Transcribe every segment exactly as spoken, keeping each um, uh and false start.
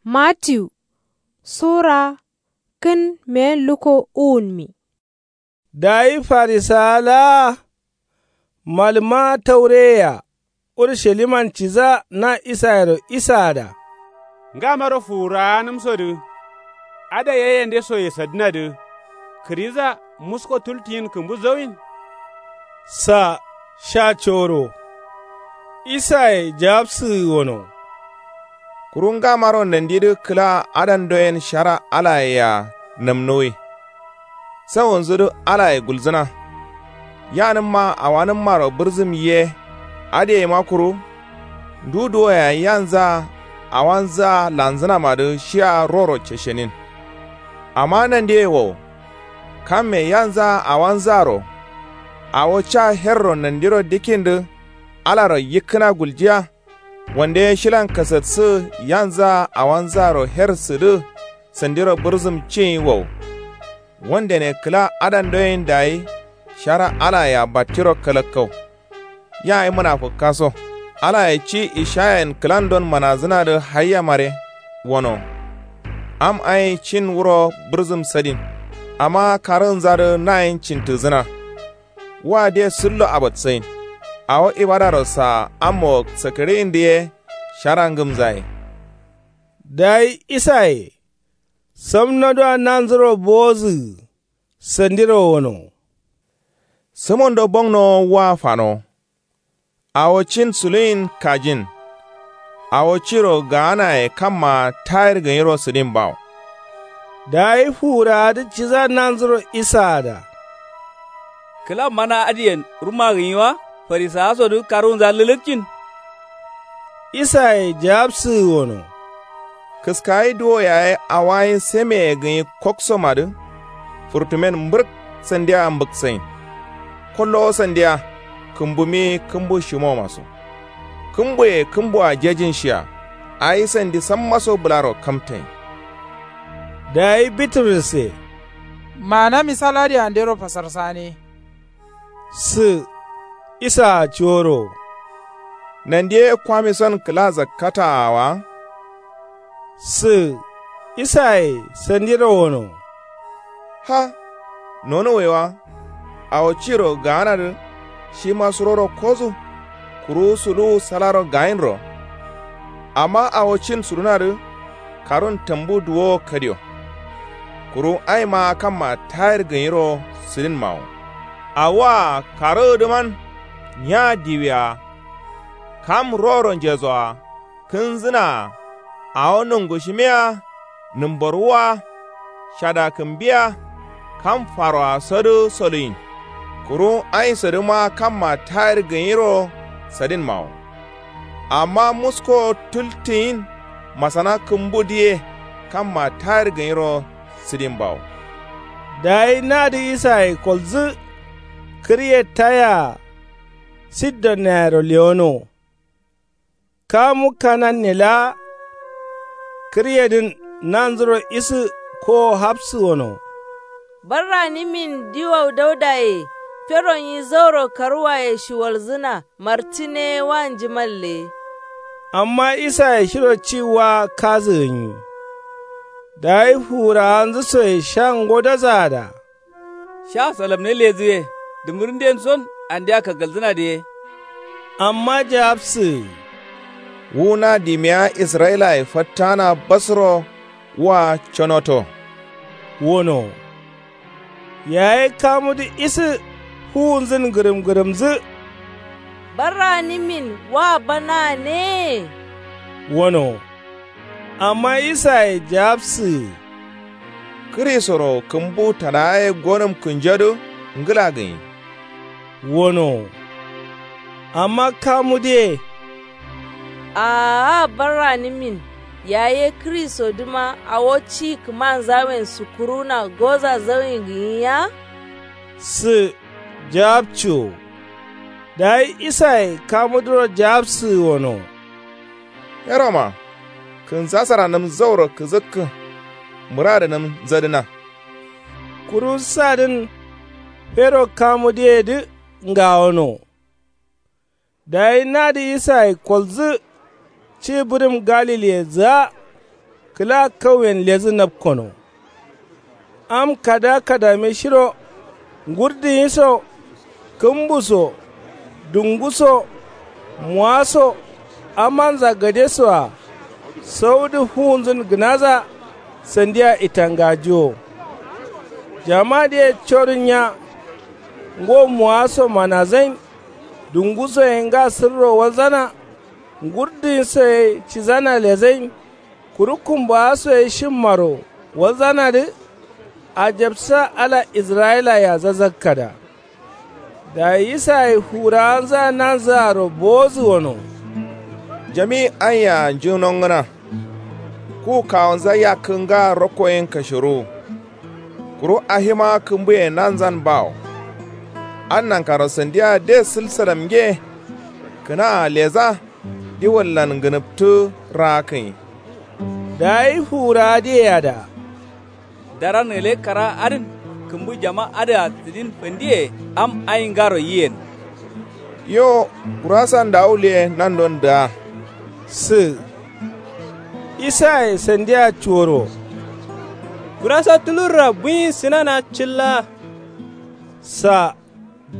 Matiyu sura kǝn meyen lukko uwunmi. Dayi farisawa laa malǝma taureyea urusaliman cidǝa na isayero isaada. Ngamaro fuwurawanǝmsodǝ adai ye yende soye sadǝnadǝ kǝriza musko tultiyin kǝmbu zauyin? Sa sha coro. Isaye jawabsǝgǝ wono. Kuru ngamaro nandidǝ kǝla adandoyen shara alayea nǝmnuwi. Sawunzudǝ alaye gulzǝna. Yanǝmma awanǝmmaro bǝrzǝm ye. Adǝyeima kuru ndu duwoye yayi yanzǝa awanzǝa lanzǝnamadǝ shia roro ceshenin. Amma nandiye wo. Kamme yanzǝa awanzǝaro awo ca herro nandiro dikkindǝ alaro yikkǝna guljiya. Wande ye shilan kasatsǝgǝ yanzǝa awanzǝaro her sǝdǝ sandiro bǝrzǝm ciyin wo. Wandene kǝla adandoyen dayi shara alayea battiro kalakkau. Yayi mǝnafǝkkaso alaye ci ishayayen kǝlandon manazǝnadǝ haiyamare. Wono am ayin cin wuro bǝrzǝm sadin. Amma karǝgǝnzadǝ nayin cintǝgǝzǝna. Wa de sǝllo abatsayin. Awo ibadaro saa ammo sakǝriyindǝ ye shara ngǝmzaye. Dayi isaye samnodǝa nanzuro bowozǝgǝ sandiro wono. Sǝmondo bongnowo wa fanowo. Awo cin suluyin kajin. Awo ciro gaanaye kammaa tayir gǝnyiro sǝdin bawo. Dayi fuwurawadǝ cidǝa nanzuro isaada. Kǝla mana adǝyen ruma gǝnyi wa? Farisawasodǝ karwunza lǝlǝkcin. Isaye jawabsǝgǝ wono. Kǝskayi duwo yaye awayin semeye gǝnyi koksomadǝ furtumen mbǝrk sandiya mbǝksayin. Kollowo sandiya kǝmbumi kǝmbu shimomaso. Kǝmbuye kǝmbua jejinshiya. Ayi sandi sammaso bǝlaro kamtayin. Dayi bituruse. Maana misal adǝ andero fasarsane. Sǝ isaa coro. Nandiye kwamison kǝla zakkataawa. Sǝ isaye sandiro wono. Ha. Nonuwaiwa. Awo ciro gaanadǝ shima suroro kozu. Kuru suluwu salaro gayinro. Amma awo cin sudunadǝ karun tambu duwowo kadiyo. Kuru aima kamma tayir gǝnyiro sǝdinmawo. Awoa karǝgǝdǝman nya diwia. Kam roro njesoa kǝnzǝnaa. Awo nungushimiya. Nǝmborwua. Shadakǝmbiya. Kam faroasodǝ soluyin. Kuru ainsodǝma kamma tayir gǝnyiro sadinmawo. Amma musko tultiyin masana kǝmbudǝye kamma tayir gǝnyiro sǝdinbawo. Dayi nadǝ isaye kolzǝ kǝrye tayea sidon nayero lewono. Kamu kananne laa kǝryedǝn nanzuro isǝ kowo hapsǝ wono. Barranǝmin diwau daudaye fero nyi zauro karuwaye shiwalzǝna martǝne wa njimalle. Amma isaye shiro ci wa kazǝgǝnyi. Dayi fuwurawanzǝ soye sha ngodozaada. Sha salamne ledǝ ye dǝmǝrǝnden son andeya kagalzǝnadǝ ye. Amma jawabsǝ. Wu na dimiya israyilaye fattana basro wa conoto. Wono. Yaye kamudǝ isǝ fuwunzǝn gǝrǝmgǝrǝmdǝ. Barranǝmin wa bana ne. Wono. Amma isaye jawabsǝgǝ. Kǝrisoro kǝmbu tadagaye gonǝm kǝnjodǝ ngǝla gǝnyi. Wono. Amma kamudǝye. Aa barranǝmin yaye kǝrisodǝma awo ci kǝmanzawen sukkuruna goza zauyin gǝnyi ya? Sǝ jawabciwo. Dayi isaye kamudǝro jawabsǝgǝ wono. Heroma kǝnsasaranǝm zauro kǝzǝkkǝ. Mǝradǝnǝm nzadǝna. Kuru sadǝn fero kamudǝyedǝ ngawono. Dayi nadǝ isaye kolzǝ ci bǝrǝm galiliyedǝa. kǝla kauyen ledǝ napkono. Am kada kadame shiro ngurdǝ nyi so, kǝmbu so, dungu so, muwa so, amanza gade soa saudǝ fuwunzǝn gǝnadǝa sandia itangajiwo. Jamadǝye codu nya. Ngo muwa so manazain, dungu so ye nga sǝrro walzana, ngurdǝ nyi so ye cidana lezain, kuru kumbawa so ye shimmaro walzanadǝ. Ajabsa ala israyilayea zazakkada. Dayi isaye fuwurawanzǝa nanzǝaro bowodǝ wano. Jami aiyea njǝnongǝna. Ku kawunza yakkǝ nga rokko yen kashiruwu. Kuru ahima kǝmbuye nanzan bawo. An nankaro sandia de sǝlsalamnge. Kǝnaa leza diwallan ngǝnǝptǝ raakǝnyi. Dayi fuwurawadǝyea da. Daran gǝle kara adǝn kǝmbu jama adǝa sǝdin fandiye am aingaro yiyen. Yo, gurasan ndawuliye nandon dǝa. Sǝ. Isaye sandia cuworo. Gurasa tulurra bunyi sǝnana cilla. Sa.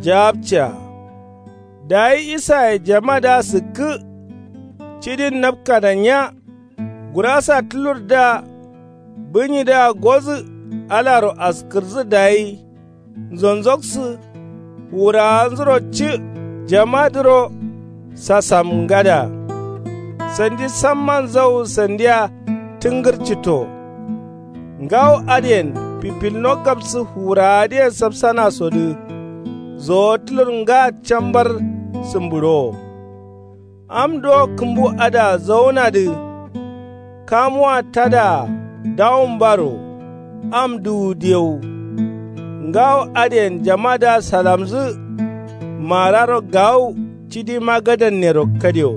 Jawabciya. Dayi isaye jamadǝa sǝkkǝ. Cidin napkada nya. Gurasa tulurdǝa bunyidǝa godǝ. Alaro askǝrdǝ dayi nzonzoksǝ. Fuwurawanzuro ci jamadǝro sasamngada. Sandi samman zau sandia tǝngǝrcito. Ngawo adǝyen fifilno gabsǝ fuwurawadǝye sapsanasodǝ. Zowo tulur nga cambar sǝmbǝɍowo. Am duwo kǝmbu adǝa zaunadǝ. Kamuwa tadaa dawumbaro. Am duwu diyau. Ngawo adǝyen jamadǝa salamzǝ. Mararo gawu cidi magadannero kadio.